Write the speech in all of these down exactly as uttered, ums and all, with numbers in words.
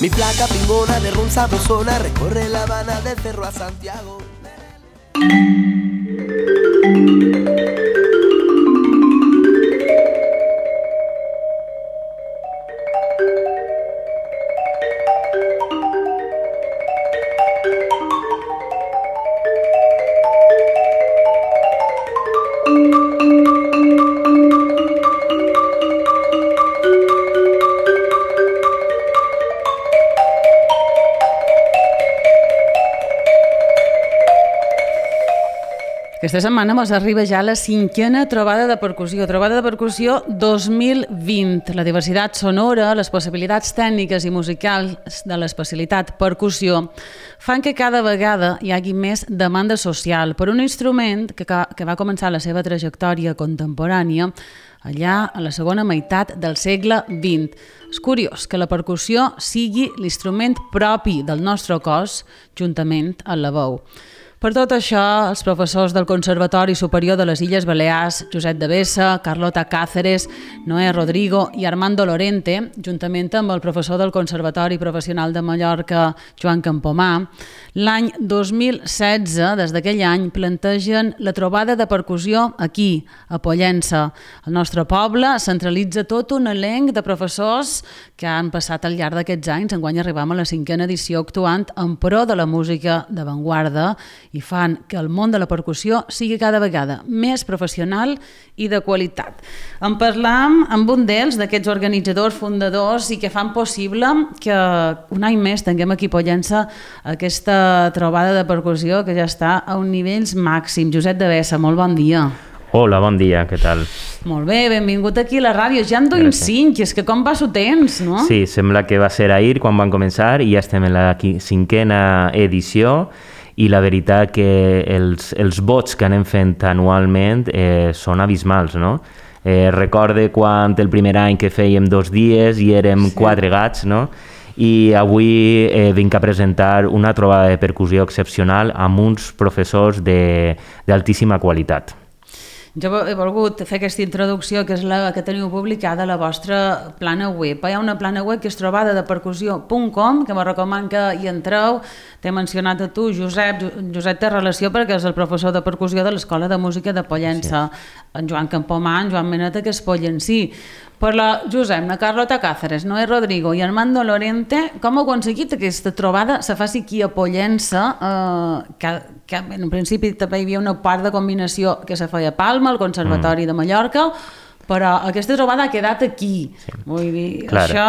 Mi flaca pingona de ron sabrosona recorre La Habana del Cerro a Santiago. Aquesta setmana ens arriba ja la cinquena trobada de percussió, trobada de percussió dos mil vint. La diversitat sonora, les possibilitats tècniques i musicals de l'especialitat percussió fan que cada vegada hi hagi més demanda social per un instrument que, que va començar la seva trajectòria contemporània allà a la segona meitat del segle vint. És curiós que la percussió sigui l'instrument propi del nostre cos juntament amb la veu. Per tot això, els professors del Conservatori Superior de les Illes Balears, Josep Devesa, Carlota Cáceres, Noé Rodrigo i Armando Lorente, juntament amb el professor del Conservatori Professional de Mallorca, Joan Campomà, l'any dos mil setze, des d'aquell any, plantegen la trobada de percussió aquí, a Pollença. Al nostre poble centralitza tot un elenc de professors que han passat al llarg d'aquests anys. Enguany arribam a la cinquena edició actuant en pro de la música d'avantguarda i fan que el món de la percussió sigui cada vegada més professional i de qualitat. En parlam amb un d'ells, d'aquests organitzadors, fundadors, i que fan possible que un any més tinguem aquí a Pollença aquesta trobada de percussió que ja està a un nivell màxim. Josep Devesa, molt bon dia. Hola, bon dia, què tal? Molt bé, benvingut aquí a la ràdio. Ja en duim cinc, és que com passa el temps, no? Sí, sembla que va ser ahir quan van començar i ja estem en la cinquena edició. I la veritat que els, els vots que anem fent anualment eh, són abismals, no? Eh, recorde quan el primer any que fèiem dos dies i érem sí. quatre gats, no? I avui eh, vinc a presentar una trobada de percussió excepcional amb uns professors d'altíssima qualitat. Jo he volgut fer aquesta introducció, que és la que teniu publicada a la vostra plana web. Hi ha una plana web que és trobada de percussió punt com, que me recoman que hi entreu. T'he mencionat a tu, Josep. Josep té relació perquè és el professor de percussió de l'Escola de Música de Pollença. Sí. En Joan Campomà, en Joan Meneta, que és pollencí. Per la Josep, la Carlota Cáceres, Noé Rodrigo i Armando Lorente, com heu aconseguit que aquesta trobada se faci aquí a Pollença, eh, que, que en principi també hi havia una part de combinació que se feia a Palma, al Conservatori mm. de Mallorca, però aquesta trobada ha quedat aquí. Sí. Vull dir, clar. Això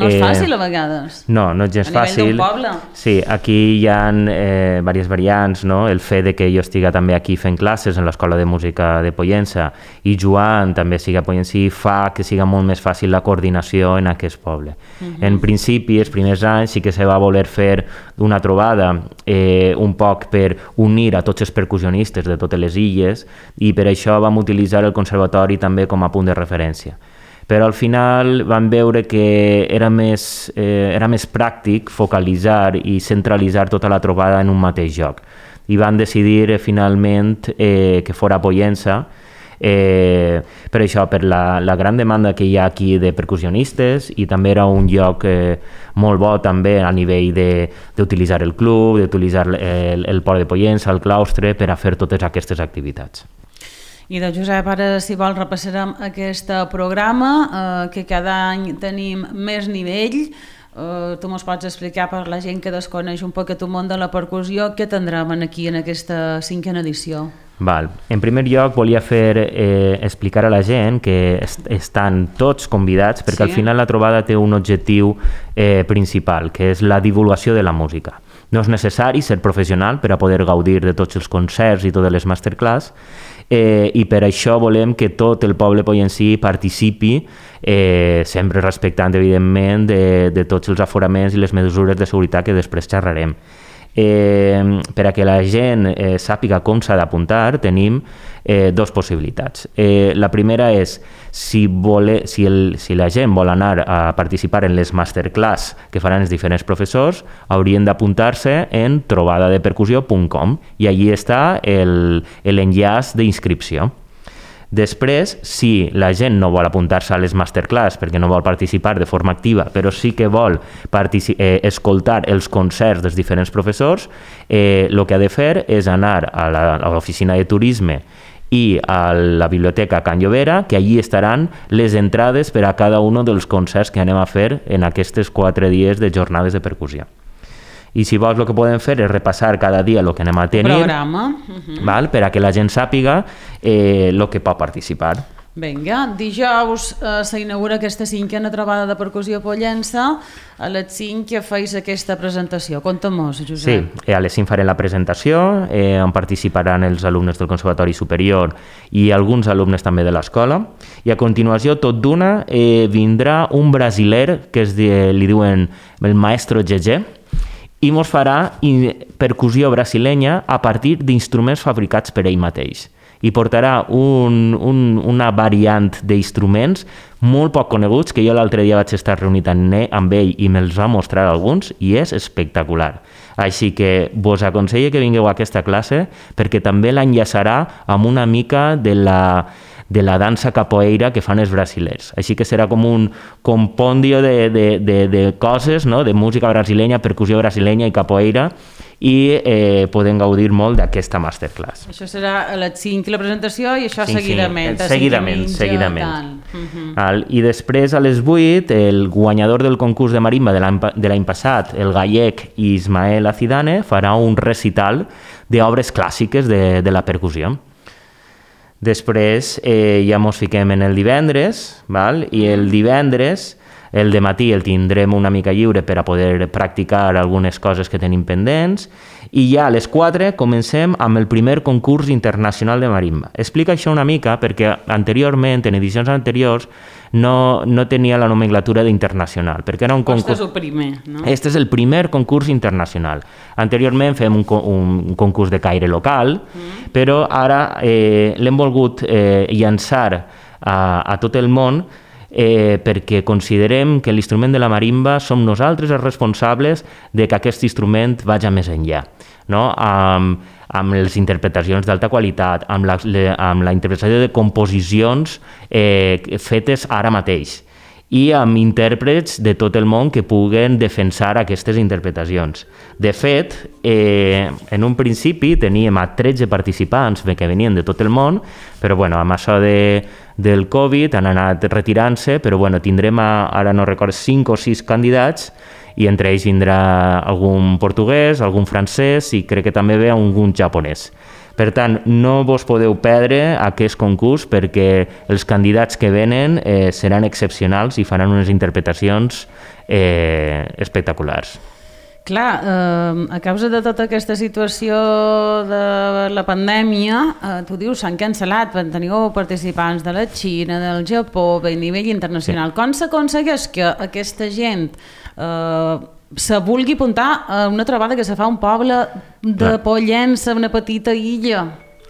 no és fàcil eh, a vegades. No, no és gens fàcil. A nivell d'un poble. Sí, aquí hi ha eh, diverses variants, no? El fet de que jo estiga també aquí fent classes en l'Escola de Música de Pollença i Joan també siga a Pollença fa que siga molt més fàcil la coordinació en aquest poble. Uh-huh. En principi, els primers anys sí que se va voler fer una trobada eh, un poc per unir a tots els percussionistes de totes les illes i per això vam utilitzar el conservatori també com a punt de referència. Però al final vam veure que era més, eh, era més pràctic focalitzar i centralitzar tota la trobada en un mateix lloc. I van decidir eh, finalment eh, que fora a Pollença, eh, per això, per la, la gran demanda que hi ha aquí de percussionistes, i també era un lloc eh, molt bo també a nivell d'utilitzar el club, d'utilitzar el, el port de Pollença, el claustre, per a fer totes aquestes activitats. I de Josep, ara si vol repassarem aquest programa, eh, que cada any tenim més nivell. Eh, tu mos pots explicar per la gent que desconeix un poc el món de la percussió què tindrem aquí en aquesta cinquena edició? Val. En primer lloc volia fer eh, explicar a la gent que est estan tots convidats perquè sí. Al final la trobada té un objectiu eh, principal, que és la divulgació de la música. No és necessari ser professional per a poder gaudir de tots els concerts i totes les masterclass, eh, i per això volem que tot el poble pollencí participi, eh, sempre respectant, evidentment, de, de tots els aforaments i les mesures de seguretat que després xerrarem. Eh, per a que la gent eh, sàpiga com s'ha d'apuntar, tenim eh, dues possibilitats. Eh, la primera és, si, vole, si, el, si la gent vol anar a participar en les masterclass que faran els diferents professors, haurien d'apuntar-se en trobada de percussió punt com i allí està l'enllaç d'inscripció. Després, si la gent no vol apuntar-se a les masterclass perquè no vol participar de forma activa, però sí que vol eh, escoltar els concerts dels diferents professors, eh, el que ha de fer és anar a l'oficina de turisme i a la biblioteca Can Llobera, que allí estaran les entrades per a cada un dels concerts que anem a fer en aquests quatre dies de jornades de percussió. I si vols, el que podem fer és repassar cada dia el que anem a tenir, programa. Uh-huh. val? Per a que la gent sàpiga eh, el que pot participar. Vinga, dijous eh, s'inaugura aquesta cinquena trobada de percussió Pollença. A les cinc que feis aquesta presentació. Conta-mos, Josep. Sí, a les cinc farem la presentació, eh, on participaran els alumnes del Conservatori Superior i alguns alumnes també de l'escola. I a continuació, tot d'una, eh, vindrà un brasiler que es, de, li diuen el maestro Gegé, i mos farà percussió brasilenya a partir d'instruments fabricats per ell mateix. I portarà un, un, una variant d'instruments molt poc coneguts, que jo l'altre dia vaig estar reunit amb ell i me'ls va mostrar alguns, i és espectacular. Així que vos aconsello que vingueu a aquesta classe perquè també l'enllaçarà amb una mica de la de la dansa capoeira que fan els brasilers. Així que serà com un compendio de, de, de, de coses, no? De música brasilenya, percussió brasilenya i capoeira, i eh, podem gaudir molt d'aquesta masterclass. Això serà a les cinc la presentació i això sí, seguidament. Sí, seguidament, mitja, seguidament. Uh-huh. I després a les vuit el guanyador del concurs de marimba de l'any passat, el gallec Ismael Acidane, farà un recital d'obres clàssiques de, de la percussió. Després eh, ja mos fiquem en el divendres, val? I el divendres, el dematí el tindrem una mica lliure per a poder practicar algunes coses que tenim pendents, i ja a les quatre comencem amb el primer concurs internacional de marimba. Explica això una mica perquè anteriorment, en edicions anteriors, no, no tenia la nomenclatura d'internacional, perquè era un concurs... Este és el primer, no? Este és el primer concurs internacional. Anteriorment fem un, un concurs de caire local, mm. però ara eh, l'hem volgut eh, llançar a, a tot el món eh, perquè considerem que l'instrument de la marimba som nosaltres els responsables de que aquest instrument vagi més enllà, no? Amb, amb les interpretacions d'alta qualitat, amb la, le, amb la interpretació de composicions eh, fetes ara mateix, i amb intèrprets de tot el món que puguen defensar aquestes interpretacions. De fet, eh, en un principi teníem a tretze participants que venien de tot el món, però bueno, amb això de, del Covid han anat retirant-se, però bueno, tindrem, a, ara no recordo, cinc o sis candidats, i entre ells vindrà algun portuguès, algun francès i crec que també ve algun japonès. Per tant, no vos podeu perdre aquest concurs perquè els candidats que venen eh, seran excepcionals i faran unes interpretacions eh, espectaculars. Clar, eh, a causa de tota aquesta situació de la pandèmia, eh, tu dius, s'han cancel·lat, teniu participants de la Xina, del Japó, a nivell internacional. Sí. Com s'aconsegueix que aquesta gent eh, se vulgui apuntar a una trobada que se fa a un poble de Clar. Pollença, una petita illa?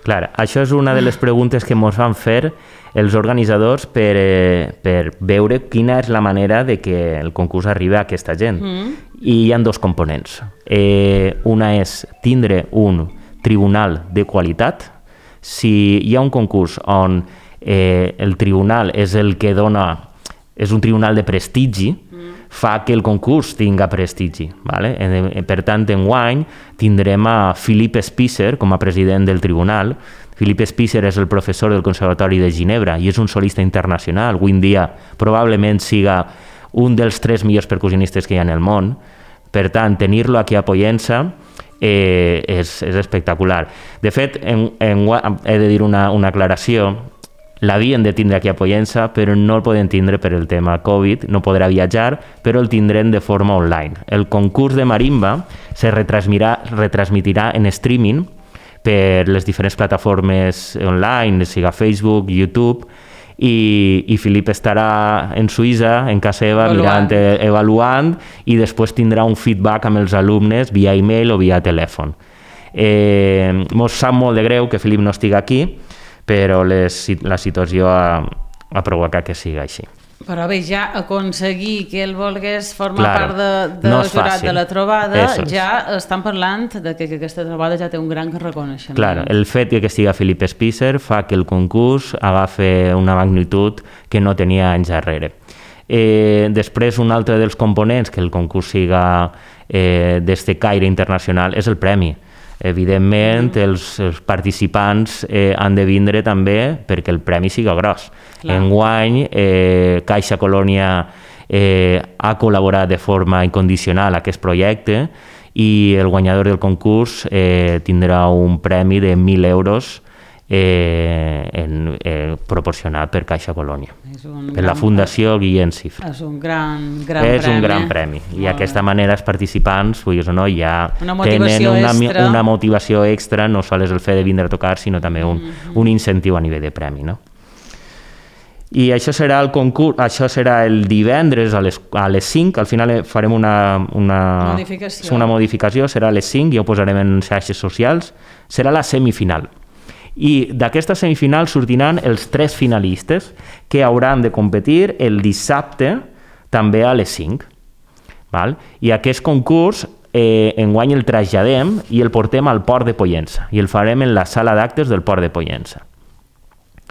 Clar, això és una de les preguntes que ens van fer els organitzadors per, eh, per veure quina és la manera de que el concurs arribi a aquesta gent. Mm. I hi ha dos components. Eh, una és tindre un tribunal de qualitat. Si hi ha un concurs on eh, el tribunal és el que dona, és un tribunal de prestigi, mm. fa que el concurs tinga prestigi. Vale? Per tant, enguany tindrem a Philippe Spicer com a president del tribunal. Philippe Spicer és el professor del Conservatori de Ginebra i és un solista internacional. Avui en dia probablement siga un dels tres millors percussionistes que hi ha en el món. Per tant, tenir-lo aquí a Pollença eh, és, és espectacular. De fet, en, en, he de dir una, una aclaració. L'havien de tindre aquí a Pollença, però no el podem tindre per el tema Covid, no podrà viatjar, però el tindrem de forma online. El concurs de marimba se retransmirà, retransmitirà en streaming per les diferents plataformes online, siga Facebook, YouTube, i, i Filip estarà en Suïssa, en casa seva, mirant, eh, avaluant, i després tindrà un feedback amb els alumnes via e-mail o via telèfon. Eh, mos sap molt de greu que Filip no estigui aquí, però les, la situació ha, ha provocat que sigui així. Però bé, ja aconseguir que ell volgués formar claro, part de, de no és jurat fàcil. de la trobada, Eso ja estan parlant de que, que aquesta trobada ja té un gran reconeixement. Claro, el fet que estiga Philip Spicer fa que el concurs agafi una magnitud que no tenia anys darrere. Eh, després, un altre dels components que el concurs siga eh, d'este caire internacional és el premi. Evidentment, mm. els, els participants eh, han de vindre també perquè el premi siga gros. Clar. Enguany, eh, Caixa Colònia eh, ha col·laborat de forma incondicional a aquest projecte i el guanyador del concurs eh, tindrà un premi de mil euros Eh, en, eh, proporcionat per Caixa Colònia, per la Fundació Guillem Cifra. És un gran, gran és premi. un gran premi i d'aquesta manera els participants vulguis o no, ja una tenen una, extra. una motivació extra, no sols el fet de vindre a tocar, sinó també un, mm-hmm. un incentiu a nivell de premi, no? I això serà el concurs, això serà el divendres a les, a les cinc, al final farem una, una, modificació. una modificació, serà a les cinc, ja ho posarem en xarxes socials, serà la semifinal. I d'aquesta semifinal sortiran els tres finalistes que hauran de competir el dissabte també a les cinc. Val? I aquest concurs eh, enguany el traslladem i el portem al Port de Pollença i el farem en la sala d'actes del Port de Pollença.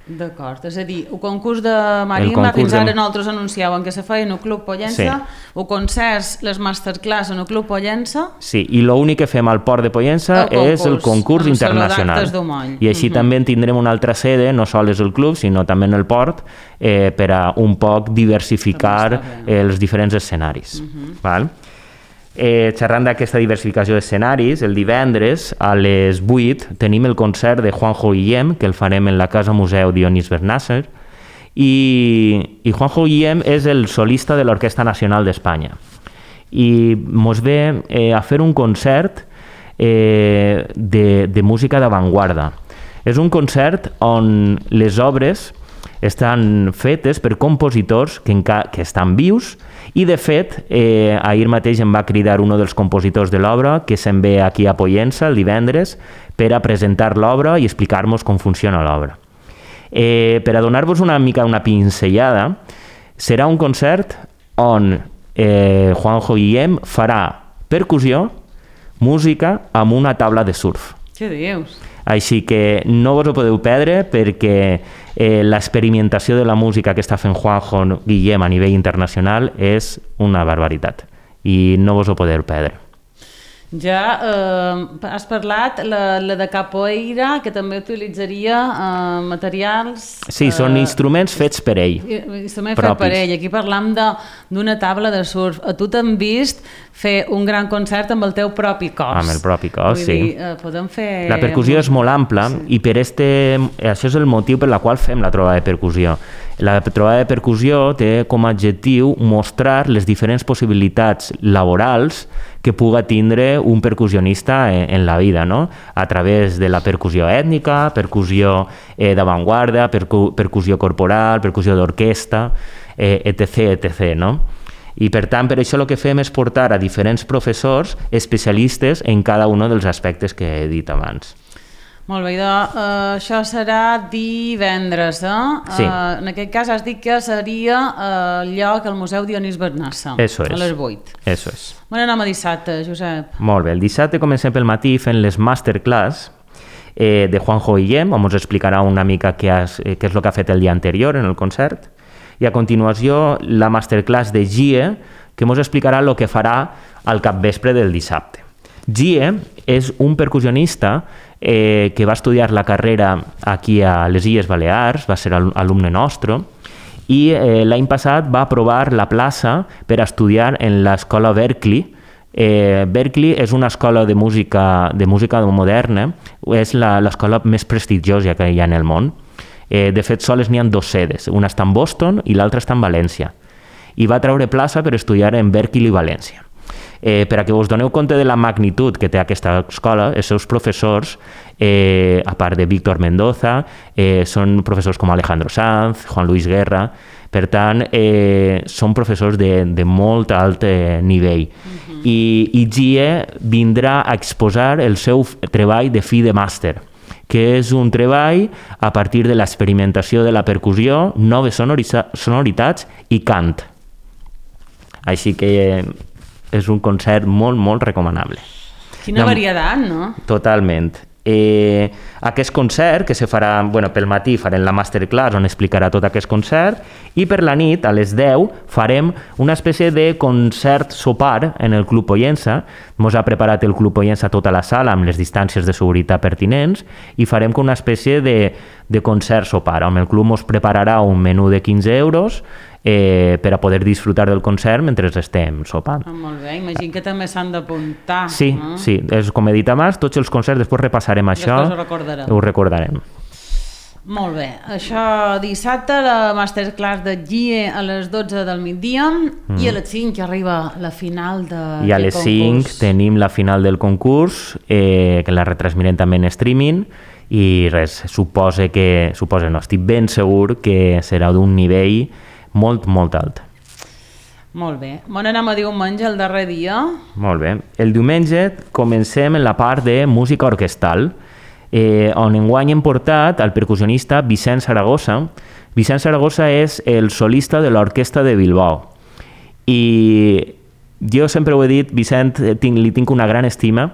D'acord, és a dir, el concurs de marimba, concurs fins ara de... nosaltres anunciàvem que se feia en el Club Pollença, sí. el concerts, les masterclass en el Club Pollença... Sí, i l'únic que fem al Port de Pollença el concurs, és el concurs internacional. I així uh-huh. també tindrem una altra sede, no sols el club, sinó també en el port, eh, per a un poc diversificar els diferents escenaris. Uh-huh. Val? Eh, xerrant d'aquesta diversificació d'escenaris, el divendres a les vuit tenim el concert de Juanjo Guillem, que el farem en la Casa Museu Dionís Bernàcer, i, i Juanjo Guillem és el solista de l'Orquestra Nacional d'Espanya. I mos ve eh, a fer un concert eh, de, de música d'avantguarda. És un concert on les obres estan fetes per compositors que, enca- que estan vius i, de fet, eh, ahir mateix em va cridar un dels compositors de l'obra que se'n ve aquí a Pollença el divendres per a presentar l'obra i explicar-nos com funciona l'obra. Eh, per a donar-vos una mica una pinzellada, serà un concert on eh, Juanjo Guillem farà percussió, música amb una taula de surf. Què dius? Així que no vos ho podeu perdre perquè eh, l'experimentació de la música que està fent Juanjo Guillem a nivell internacional és una barbaritat i no vos ho podeu perdre. Ja eh, has parlat la, la de capoeira, que també utilitzaria eh, materials... Sí, eh, són instruments fets per ell. Instruments fets per ell. Aquí parlam d'una taula de surf. A tu t'han vist fer un gran concert amb el teu propi cos. Amb el propi cos, sí. Dir, eh, podem fer... La percussió és molt ampla, sí. I per este, això és el motiu per la qual fem la trobada de percussió. La trobada de percussió té com a objectiu mostrar les diferents possibilitats laborals que puga tindre un percussionista en, en la vida, no? A través de la percussió ètnica, percussió eh, d'avantguarda, percu percussió corporal, percussió d'orquestra, eh, etc, etc, no? I per tant, per això el que fem és portar a diferents professors especialistes en cada un dels aspectes que he dit abans. Molt bé, doncs, uh, això serà divendres, eh? Sí. Uh, en aquest cas has dit que seria el uh, lloc al Museu Dionís Bernassa, Eso a es. les vuit. Eso es. Bon anem a dissabte, Josep. Molt bé, el dissabte comencem pel matí fent les masterclass eh, de Juanjo Guillem, on ens explicarà una mica què, has, eh, què és el que ha fet el dia anterior en el concert, i a continuació la masterclass de Gie, que ens explicarà el que farà al capvespre del dissabte. Gie és un percussionista eh, que va estudiar la carrera aquí a les Illes Balears, va ser alumne nostre, i eh, l'any passat va aprovar la plaça per estudiar en l'escola Berklee. Eh, Berklee és una escola de música, de música moderna, és l'escola més prestigiosa que hi ha en el món. Eh, de fet, sols n'hi ha dues sedes, una està en Boston i l'altra està en València. I va treure plaça per estudiar en Berklee i València. Eh, per a que us doneu compte de la magnitud que té aquesta escola, els seus professors, eh, a part de Víctor Mendoza, eh, són professors com Alejandro Sanz, Juan Luis Guerra, per tant, eh, són professors de, de molt alt eh, nivell. Uh-huh. I, i Gie vindrà a exposar el seu treball de fi de màster, que és un treball a partir de l'experimentació de la percussió, noves sonoritats i cant. Així que és un concert molt, molt recomanable. Quina varietat, no? Totalment. Eh, aquest concert que se farà, bueno, pel matí farem la masterclass on explicarà tot aquest concert i per la nit a les deu farem una espècie de concert sopar en el Club Pollença. Mos ha preparat el Club Pollença tota la sala amb les distàncies de seguretat pertinents i farem com una espècie de, de concert sopar on el club mos prepararà un menú de quinze euros Eh, per a poder disfrutar del concert mentre estem sopant. Ah, molt bé, imagino que també s'han d'apuntar. Sí, no? sí, és com he dit abans, tots els concerts, després repassarem això. Després ho recordarem. Ho recordarem. Molt bé, això dissabte la masterclass de G I E a les dotze del migdia mm. i a les cinc arriba la final de I a les cinc tenim la final del concurs, eh, que la retransmirem també en streaming i res, suposa que, suposa no, estic ben segur que serà d'un nivell molt, molt alt. Molt bé. Bon anem a diumenge, el darrer dia. Molt bé. El diumenge comencem en la part de música orquestal, eh, on enguany hem portat el percussionista Vicent Saragossa. Vicent Saragossa és el solista de l'Orquestra de Bilbao. I jo sempre ho he dit, Vicent, tinc, li tinc una gran estima,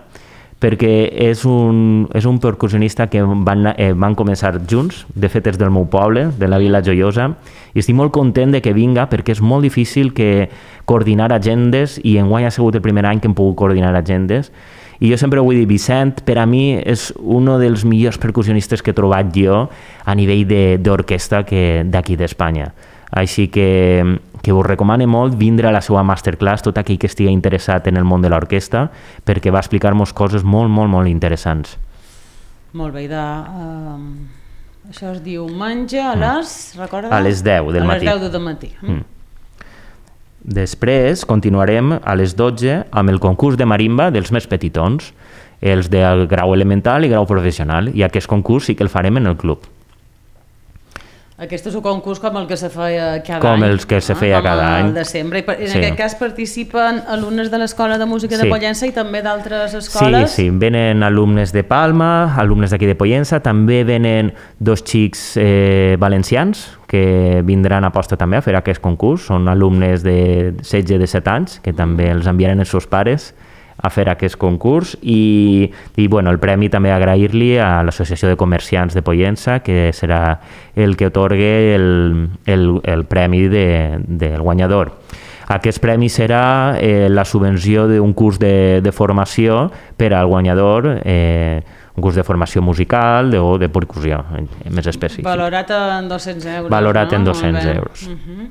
perquè és un, és un percussionista que van, eh, van començar junts, de fet és del meu poble, de la Vila Joiosa, i estic molt content de que vinga perquè és molt difícil que coordinar agendes i enguany ha sigut el primer any que hem pogut coordinar agendes i jo sempre ho vull dir, Vicent per a mi és un dels millors percussionistes que he trobat jo a nivell d'orquestra d'aquí d'Espanya. Així que, que us recomano molt vindre a la seva masterclass, tot aquell que estigui interessat en el món de l'orquestra, perquè va explicar-nos coses molt, molt, molt interessants. Molt bé, de, uh, això es diu diumenge a les... Mm. Recorda? A les deu del matí. A les deu del matí. Mm. Després continuarem a les dotze amb el concurs de marimba dels més petitons, els del grau elemental i grau professional, i aquest concurs sí que el farem en el club. Aquest és un concurs com el que se feia cada com any. Com els que se feia no? cada com any. el de sempre. I en sí. aquest cas participen alumnes de l'Escola de Música sí. de Pollença i també d'altres escoles? Sí, sí, venen alumnes de Palma, alumnes d'aquí de Pollença, també venen dos xics eh, valencians que vindran a posta també a fer aquest concurs. Són alumnes de setze a disset anys, que també els enviaran els seus pares a fer aquest concurs i, i bueno, el premi també agrair-li a l'Associació de Comerciants de Pollença, que serà el que atorgue el, el, el premi de, del guanyador. Aquest premi serà eh, la subvenció d'un curs de, de formació per al guanyador, eh, un curs de formació musical o de percussió, més específic. Valorat en dos-cents euros. Valorat no? en dos-cents euros. Uh-huh.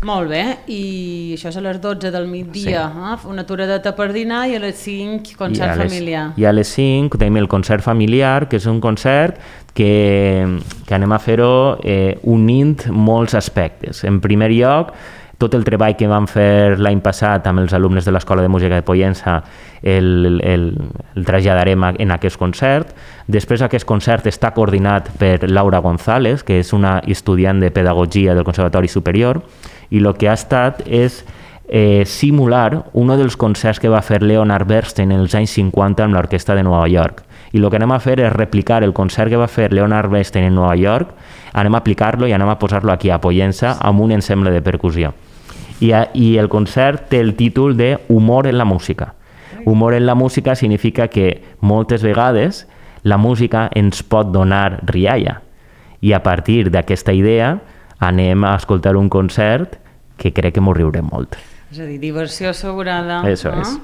Molt bé, i això és a les dotze del migdia, sí. eh? Una aturada per dinar i a les cinc concert I les, familiar. I a les cinc tenim el concert familiar, que és un concert que, que anem a fer-ho eh, unint molts aspectes. En primer lloc, tot el treball que vam fer l'any passat amb els alumnes de l'Escola de Música de Pollença el, el, el traslladarem en aquest concert. Després aquest concert està coordinat per Laura González, que és una estudiant de Pedagogia del Conservatori Superior, i el que ha estat és eh, simular un dels concerts que va fer Leonard Bernstein en els anys cinquanta amb l'Orquestra de Nova York. I el que anem a fer és replicar el concert que va fer Leonard Bernstein en Nova York, anem a aplicar-lo i anem a posar-lo aquí a Pollença amb un ensemble de percussió. I, a, i el concert té el títol de Humor en la música. Humor en la música significa que moltes vegades la música ens pot donar rialla i a partir d'aquesta idea anem a escoltar un concert que crec que m'ho riurem molt. És a dir, diversió assegurada. Eso no? és.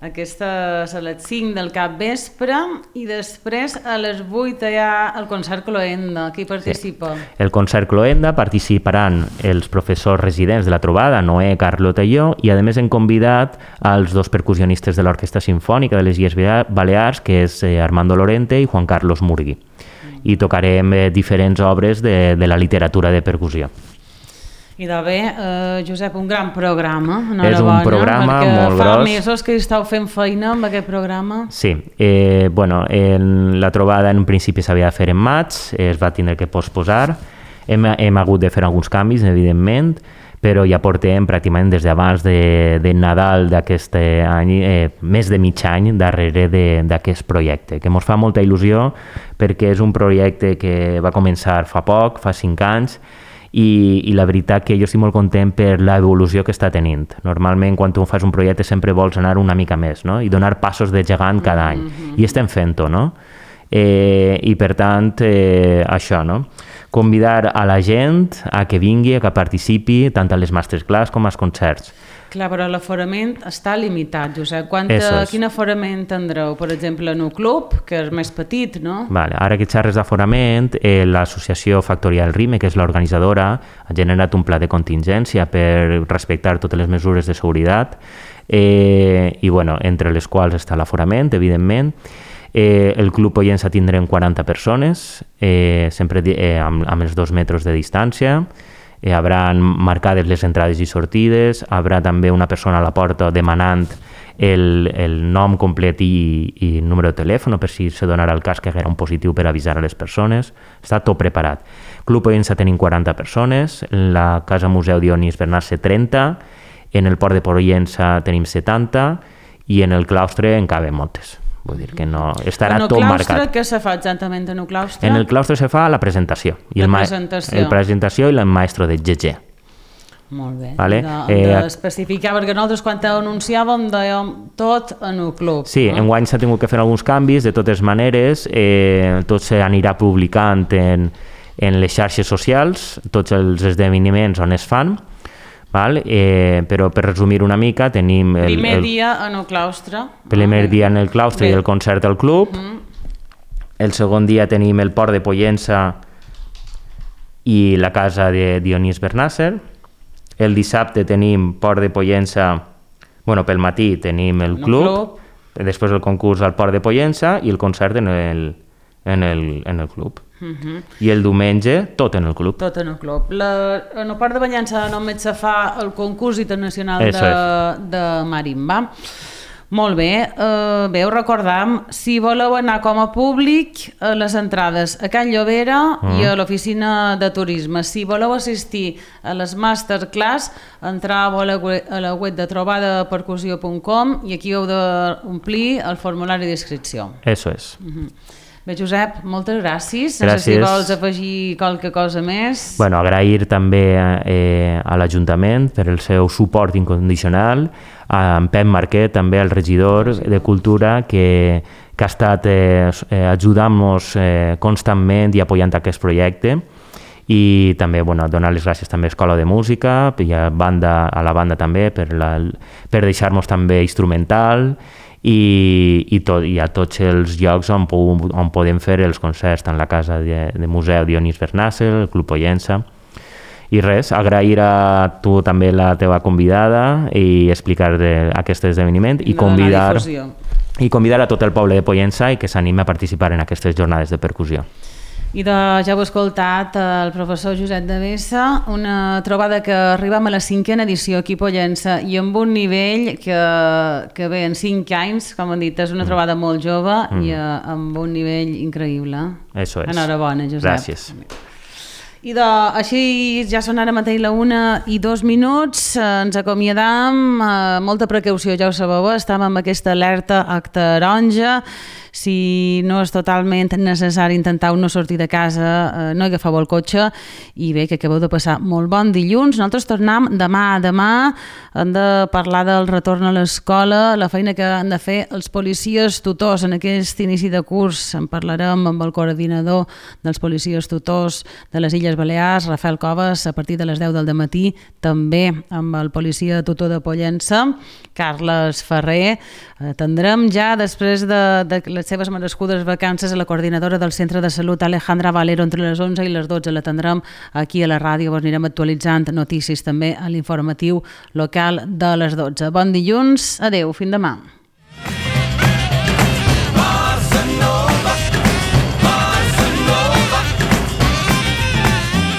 Aquesta és a les cinc del capvespre i després a les vuit hi ha el concert Cloenda. Qui participa? Sí. El concert Cloenda participaran els professors residents de la trobada, Noé, Carlota i jo, i a més hem convidat als dos percussionistes de l'Orquestra Simfònica de les Illes Balears, que és Armando Lorente i Juan Carlos Murgui. I tocarem eh, diferents obres de, de la literatura de percussió. I de bé, eh, Josep, un gran programa. És un bona, programa molt fa gros. Fa mesos que estàu fent feina amb aquest programa. Sí, eh, bueno, en la trobada en un principi s'havia de fer en maig, es va tindre que posposar, hem, hem hagut de fer alguns canvis, evidentment, però ja portem pràcticament des d'abans de, de Nadal d'aquest any, eh, més de mig any darrere d'aquest projecte, que ens fa molta il·lusió perquè és un projecte que va començar fa poc, fa cinc anys, i, i la veritat que jo estic molt content per l'evolució que està tenint. Normalment quan tu fas un projecte sempre vols anar una mica més, no? I donar passos de gegant cada any, mm-hmm. i estem fent-ho, no? Eh, I per tant, eh, això, no? Convidar a la gent a que vingui, a que participi tant a les masterclass com als concerts. Clar, però l'aforament està limitat, Josep. Quanta, quin aforament tindreu? Per exemple, en un club, que és més petit, no? Vale. Ara que xerres d'aforament, eh, l'associació Factorial Rime, que és l'organitzadora, ha generat un pla de contingència per respectar totes les mesures de seguretat, eh, i bueno, entre les quals està l'aforament, evidentment. Eh, el Club Pollença tindrem quaranta persones, eh, sempre eh, amb, amb els dos metres de distància. Eh, hauran marcades les entrades i sortides, haurà també una persona a la porta demanant el, el nom complet i, i número de telèfon per si se donarà el cas que haguera un positiu per avisar a les persones. Està tot preparat. Club Pollença tenim quaranta persones, en la Casa Museu Dionís Bernasser trenta, en el Port de Pollença tenim setanta i en el claustre en caben moltes. Vull dir que no, estarà tot marcat. En el claustre, què se fa exactament en el claustre? En el claustre se fa la presentació. I la el presentació. La presentació i el maestro de G G. Molt bé. Vale? Hem d'especificar, eh, perquè nosaltres quan anunciàvem dèiem tot en el club. Sí, no? Enguany s'ha tingut que fer alguns canvis, de totes maneres, eh, tot s'anirà publicant en, en les xarxes socials, tots els esdeveniments on es fan. Val? Eh, però per resumir una mica tenim... El primer el, dia en el claustre. Primer ah, dia en el claustre bé. I el concert al club. Uh -huh. El segon dia tenim el Port de Pollença i la casa de Dionís Bernasser. El dissabte tenim Port de Pollença, bueno, pel matí tenim el club, club, després el concurs al Port de Pollença i el concert en el, en el, en el club. Uh-huh. I el diumenge tot en el club. Tot en el club. La, en el Port de Pollença només se fa el concurs internacional de, de marimba. Molt bé. Uh, bé, us recordam, si voleu anar com a públic, uh, les entrades a Can Llobera uh-huh. i a l'oficina de turisme. Si voleu assistir a les masterclass, entreu a la, a la web de trobada percussió punt com i aquí heu d'omplir el formulari d'inscripció. Eso és. Uh-huh. Bé, Josep, moltes gràcies. Gràcies. No sé si vols afegir qualque cosa més. Bueno, agrair també eh, a l'Ajuntament per el seu suport incondicional, a en Pep Marquet, també el regidor de Cultura, que, que ha estat eh, ajudant-nos eh, constantment i apoyant aquest projecte. I també bueno, donar les gràcies també a l'Escola de Música i a, banda, a la banda també per, la, per deixar-nos també instrumental i, i, tot, i a tots els llocs on, on podem fer els concerts, tant la Casa de, de Museu Dionís Bernasser, el Club Pollença. I res, agrair a tu també la teva convidada i explicar aquest esdeveniment i convidar, i convidar a tot el poble de Pollença i que s'anime a participar en aquestes jornades de percussió. I de, ja heu escoltat el professor Josep Devesa, una trobada que arribem a la cinquena edició aquí a Pollença i amb un nivell que, que bé, en cinc anys, com han dit, és una trobada molt jove mm. i uh, amb un nivell increïble. Eso es. Enhorabona, Josep. Gràcies. I de, així ja són ara mateix la una i dos minuts, ens acomiadam, eh, molta precaució, ja ho sabeu, estem amb aquesta alerta a taronja. Si no és totalment necessari intentar no sortir de casa, eh, no agafeu el cotxe i bé, que acabeu de passar molt bon dilluns. Nosaltres tornem demà. Demà hem de parlar del retorn a l'escola, la feina que han de fer els policies tutors en aquest inici de curs. En parlarem amb el coordinador dels policies tutors de les Illes Balears, Rafael Coves, a partir de les deu del dematí, també amb el policia tutor de Pollença, Carles Ferrer. Tindrem ja, després de, de les seves merescudes vacances, a la coordinadora del Centre de Salut, Alejandra Valero, entre les onze i les dotze. La tindrem aquí a la ràdio, us anirem actualitzant notícies també a l'informatiu local de les dotze. Bon dilluns, adeu, fins demà.